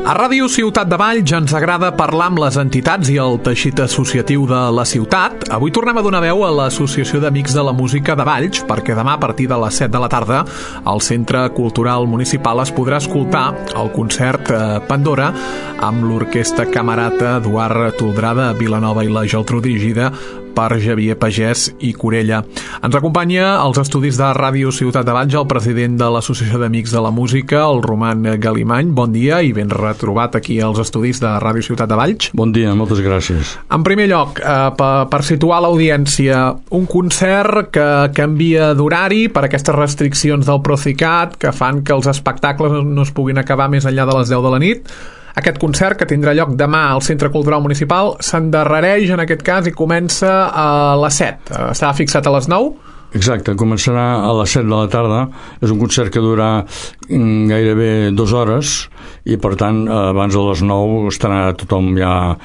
A Ràdio Ciutat de Valls ens agrada parlar amb les entitats i el teixit associatiu de la ciutat. Avui tornem a donar veu a l'Associació d'Amics de la Música de Valls, perquè demà a partir de les 7 de la tarda al Centre Cultural Municipal es podrà escoltar el concert Pandora amb l'Orquestra Camerata Eduard Toldrà de Vilanova i la Geltrú, dirigida per Xavier Pagès i Corella. Ens acompanya als estudis de Ràdio Ciutat de Valls el president de l'Associació d'Amics de la Música, el Roman Galimany. Bon dia i ben retrobat aquí als estudis de Ràdio Ciutat de Valls. Bon dia, moltes gràcies. En primer lloc, per situar l'audiència, un concert que canvia d'horari per aquestes restriccions del Procicat que fan que els espectacles no es puguin acabar més enllà de les 10 de la nit. Aquest concert, que tindrà lloc demà al Centre Cultural Municipal, s'endarrereix en aquest cas i comença a les 7. Estava fixat a les 9? Exacte, començarà a les 7 de la tarda. És un concert que durà gairebé 2 hores i, per tant, abans de les 9 estarà tothom ja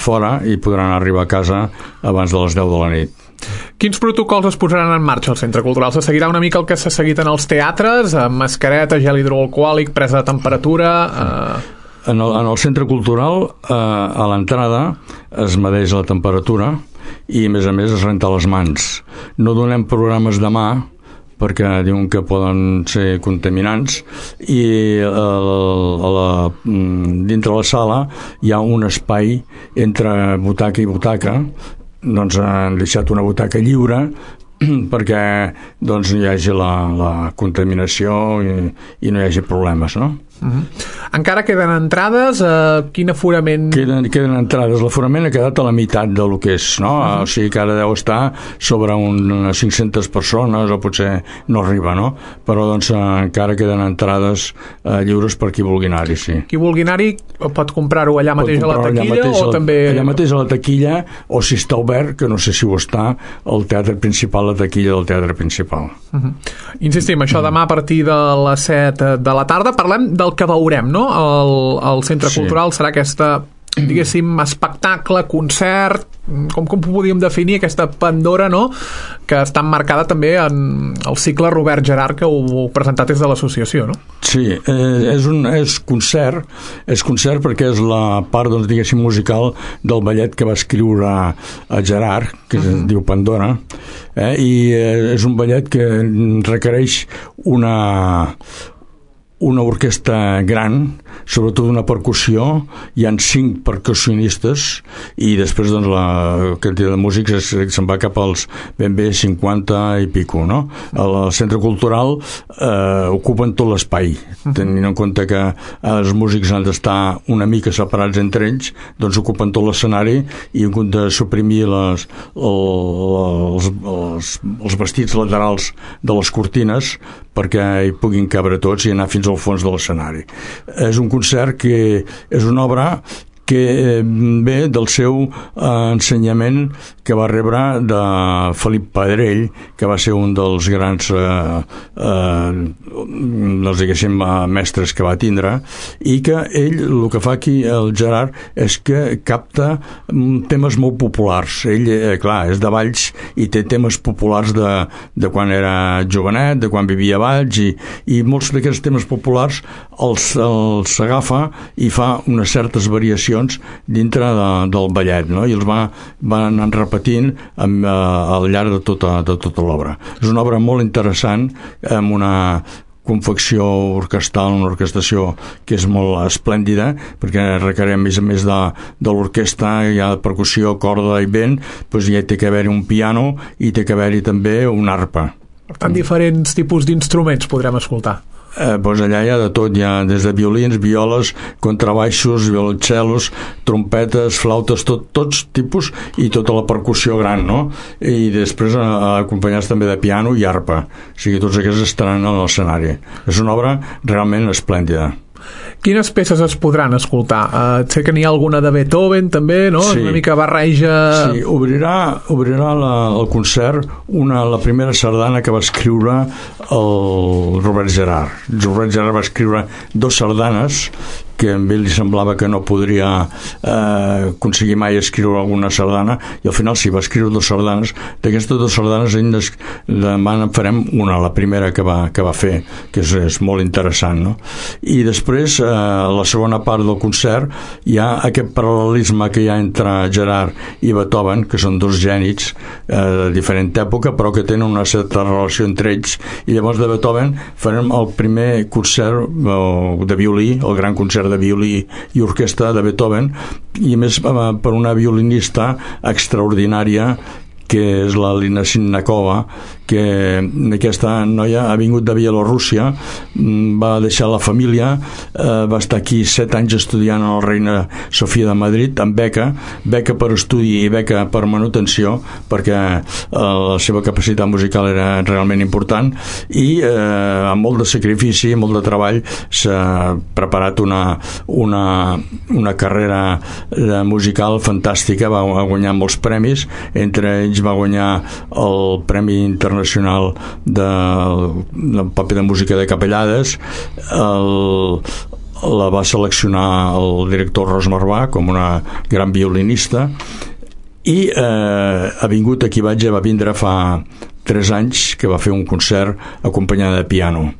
fora i podran arribar a casa abans de les 10 de la nit. Quins protocols es posaran en marxa al Centre Cultural? Se seguirà una mica el que s'ha seguit en els teatres, amb mascareta, gel hidroalcohòlic, presa de temperatura... En el centre cultural, a l'entrada, es medeix la temperatura i, a més, es renta les mans. No donem programes de mà, perquè diuen que poden ser contaminants, i dintre la sala hi ha un espai entre butaca i butaca. Doncs han deixat una butaca lliure perquè no hi hagi la contaminació i no hi hagi problemes, no? Encara queden entrades? Quin aforament? Queden entrades. L'aforament ha quedat a la meitat del que és, no? O sigui que ara deu estar sobre unes 500 persones o potser no arriba, no? Però doncs encara queden entrades lliures per qui vulgui anar-hi, sí. Qui vulgui anar-hi pot comprar-ho allà mateix a la taquilla o també... Allà mateix a la taquilla, o si està obert, que no sé si ho està, al teatre principal, la taquilla del teatre principal. Insistim, això demà a partir de les 7 de la tarda. Parlem del que veurem, no? El Centre Cultural serà aquesta, diguéssim, espectacle, concert, com podríem definir aquesta Pandora, no? Que està emmarcada també en el cicle Robert Gerhard que heu presentat des de l'associació, no? Sí, és concert perquè és la part, doncs, diguéssim, musical del ballet que va escriure a Gerhard, que es diu Pandora, i és un ballet que requereix una orquestra gran, sobretot una percussió. Hi ha 5 percussionistes i després, doncs, la quantitat de músics se'n va cap als ben bé 50 i pico, no? Al Centre Cultural ocupen tot l'espai, tenint en compte que els músics han d'estar una mica separats entre ells, doncs ocupen tot l'escenari i en compte de suprimir els vestits laterals de les cortines perquè hi puguin cabre tots i anar fins al fons de l'escenari. És un concert que és una obra que ve del seu ensenyament que va rebre de Felip Pedrell, que va ser un dels grans mestres que va tindre, i que ell, el que fa aquí el Gerhard, és que capta temes molt populars. Ell, clar, és de Valls i té temes populars de quan era jovenet, de quan vivia a Valls, i molts d'aquests temes populars els agafa i fa unes certes variacions dintre del ballet, no? I els va anar repetint al llarg de tota l'obra. És una obra molt interessant, amb una confecció orquestral, una orquestació que és molt esplèndida, perquè requereix, a més de l'orquestra, hi ha percussió, corda i vent, doncs ja té que haver-hi un piano i té que haver-hi també una arpa. Per tant, diferents tipus d'instruments podrem escoltar. Doncs allà hi ha de tot, hi ha des de violins, violes, contrabaixos, violoncellos, trompetes, flautes, tots tipus, i tota la percussió gran, no? I després acompanyats també de piano i arpa, o sigui, tots aquests estaran a l'escenari. És una obra realment esplèndida. Quines peces es podran escoltar? Sé que n'hi ha alguna de Beethoven també, no? Sí. Una mica barreja... Sí, obrirà el concert la primera sardana que va escriure el Robert Gerhard. Robert Gerhard va escriure 2 sardanes que a ell li semblava que no podria aconseguir mai escriure alguna sardana, i al final sí, va escriure 2 sardanes. D'aquestes 2 sardanes ell demà en farem una, la primera que va fer, que és molt interessant, no? I després a la segona part del concert hi ha aquest paral·lelisme que hi ha entre Gerard i Beethoven, que són 2 gènies de diferent època, però que tenen una certa relació entre ells, i llavors de Beethoven farem el primer concert de violí, el gran concert de violí i orquestra de Beethoven, i a més per una violinista extraordinària, que és la Lina Sinnakova, que aquesta noia ha vingut de Bielorússia, va deixar la família, va estar aquí 7 anys estudiant a la Reina Sofia de Madrid amb beca per estudi i beca per manutenció, perquè la seva capacitat musical era realment important, i amb molt de sacrifici, molt de treball, s'ha preparat una carrera musical fantàstica. Va guanyar molts premis, entre ells va guanyar el Premi Internacional del paper de música de capellades. La va seleccionar el director Rosmar com una gran violinista, i ha vingut aquí, va vindre fa 3 anys, que va fer un concert acompanyada de piano,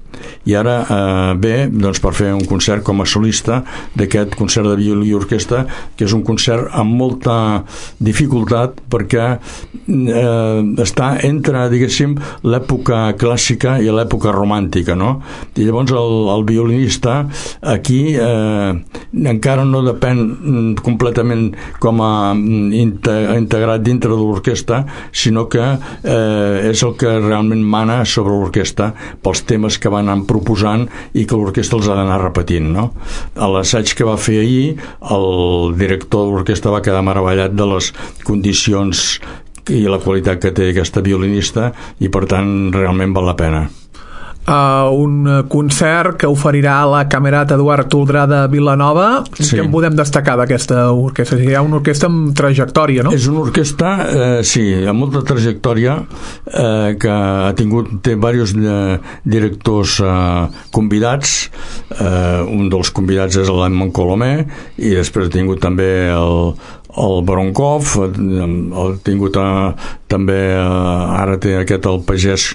i ara ve doncs, per fer un concert com a solista d'aquest concert de violí i orquestra, que és un concert amb molta dificultat, perquè està entre, diguéssim, l'època clàssica i l'època romàntica, no? I llavors el violinista aquí encara no depèn completament com a integrat dintre de l'orquestra, sinó que és el que realment mana sobre l'orquestra pels temes que van anar proposant i que l'orquestra els ha d'anar repetint, no? A l'assaig que va fer ahir, el director de l'orquestra va quedar meravellat de les condicions i la qualitat que té aquesta violinista, i per tant realment val la pena. Un concert que oferirà la Camerata Eduard Toldrà de Vilanova. Sí. Què en podem destacar d'aquesta orquestra? Hi ha una orquestra amb trajectòria, no? És una orquestra, sí, amb molta trajectòria, que té diversos directors convidats. Un dels convidats és l'Edmond Colomé, i després ha tingut també el Voronkov, ha tingut també ara té el pagès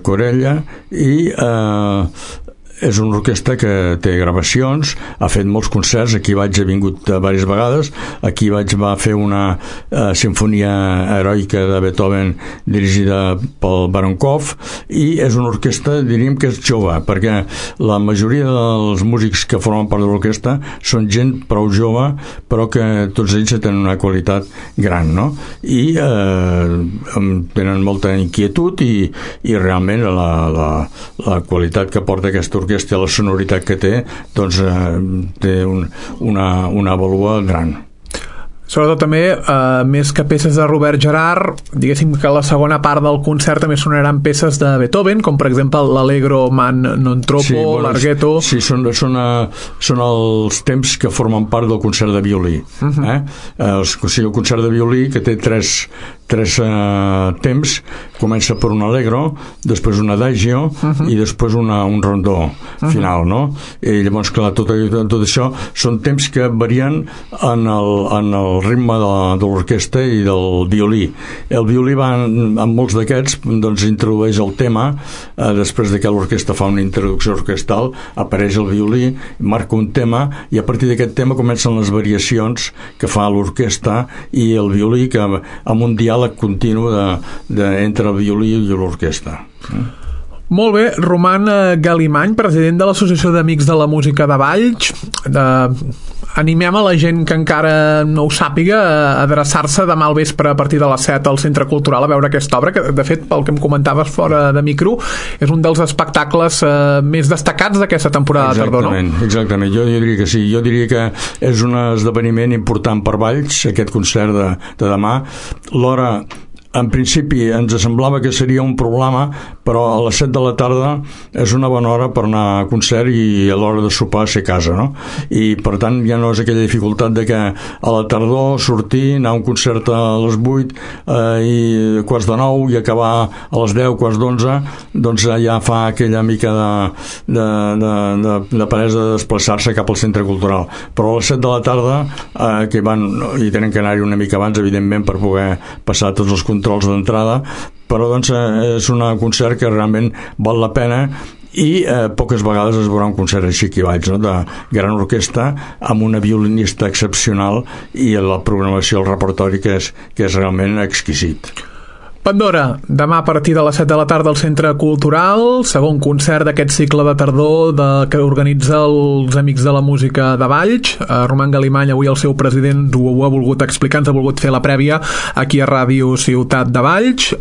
Corella, i és una orquestra que té gravacions, ha fet molts concerts, aquí ha vingut diverses vegades, aquí va fer una sinfonia heroica de Beethoven dirigida pel Voronkov, i és una orquestra, diríem que és jove, perquè la majoria dels músics que formen part de l'orquestra són gent prou jove, però que tots ells tenen una qualitat gran, no? I tenen molta inquietud, i realment la qualitat que porta aquesta orquestra, la sonoritat que té, doncs té una vàlua gran. Sobretot també, més que peces de Robert Gerhard, diguéssim que a la segona part del concert també sonaran peces de Beethoven, com per exemple l'Allegro man non troppo, sí, l'Arghetto. Sí, són els temps que formen part del concert de violí. El concert de violí, que té tres temps, comença per un Allegro, després un Adagio, i després un rondó final, no? I llavors, clar, tot això són temps que varien en el ritme de l'orquestra i del violí. El violí va, en molts d'aquests, doncs introdueix el tema, després de que l'orquestra fa una introducció orquestral, apareix el violí, marca un tema, i a partir d'aquest tema comencen les variacions que fa l'orquestra i el violí, que amb un diàleg continu entre el violí i l'orquestra. Molt bé, Roman Galimany, president de l'Associació d'Amics de la Música de Valls. Animem a la gent que encara no ho sàpiga a adreçar-se demà al vespre a partir de les 7 al Centre Cultural a veure aquesta obra, que de fet, pel que em comentaves fora de micro, és un dels espectacles més destacats d'aquesta temporada de tardor, no? Exactament, jo diria que sí. Jo diria que és un esdeveniment important per Valls, aquest concert de demà. L'hora en principi ens semblava que seria un problema, però a les 7 de la tarda és una bona hora per anar a concert i a l'hora de sopar ser a casa, no? I per tant ja no és aquella dificultat de que a la tardor sortir, anar a un concert a les 8 i quarts de 9 i acabar a les 10, quarts d'11, doncs ja fa aquella mica de peresa de desplaçar-se cap al centre cultural. Però a les 7 de la tarda que van, i tenen que anar-hi una mica abans, evidentment, per poder passar tots els controls d'entrada, però doncs és un concert que realment val la pena i poques vegades es veurà un concert així aquí baix, no? De gran orquestra amb una violinista excepcional i la programació, el repertori que és realment exquisit. Pandora, demà a partir de les 7 de la tarda al Centre Cultural, segon concert d'aquest cicle de tardor que organitza els Amics de la Música de Valls. Roman Galimany, avui el seu president, ho ha volgut explicar, ens ha volgut fer la prèvia aquí a Ràdio Ciutat de Valls.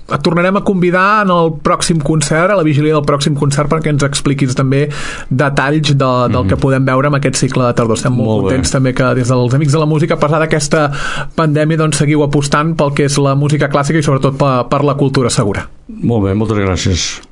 Et tornarem a convidar en el pròxim concert, a la vigília del pròxim concert, perquè ens expliquis també detalls del que podem veure amb aquest cicle de tardor. Estem molt contents també que des dels Amics de la Música, a pesar d'aquesta pandèmia, doncs seguiu apostant pel que és la música clàssica i sobretot per la cultura segura. Molt bé, moltes gràcies.